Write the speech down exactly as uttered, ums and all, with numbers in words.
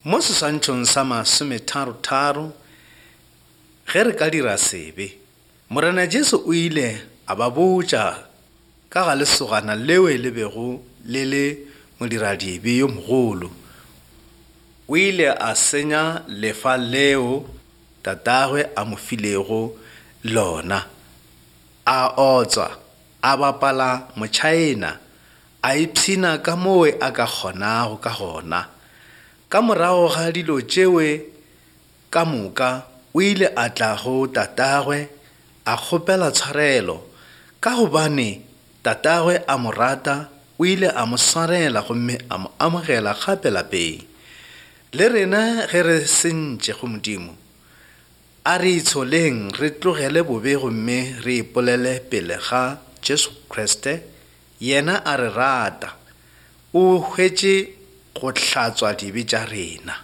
Mo seswantšhong sa masometharo-tharo, ge re ka dira sebe, Morena Jesu o ile a ba botša ka ga lesogana leo le bego le le modiradibe yo mogolo. O ile a senya lefa leo tatagwe a mo filego lona, a otswa, a bapala motšhaena, a ipshina ka moo a ka kgonago ka gona. Ka morago ga dilo tšeo ka moka, o ile a tla go tatagwe a kgopela tshwarelo. Ka gobane tatagwe a mo rata, o ile a mo swarela gomme a mo amogela gape lapeng. Le rena ge re sentše go Modimo, a re itsholeng, re tlogele bobe gomme re ipolele pele ga Jesu Kriste. Yena a re rata, o hwetše go hlatswa dibe tša rena.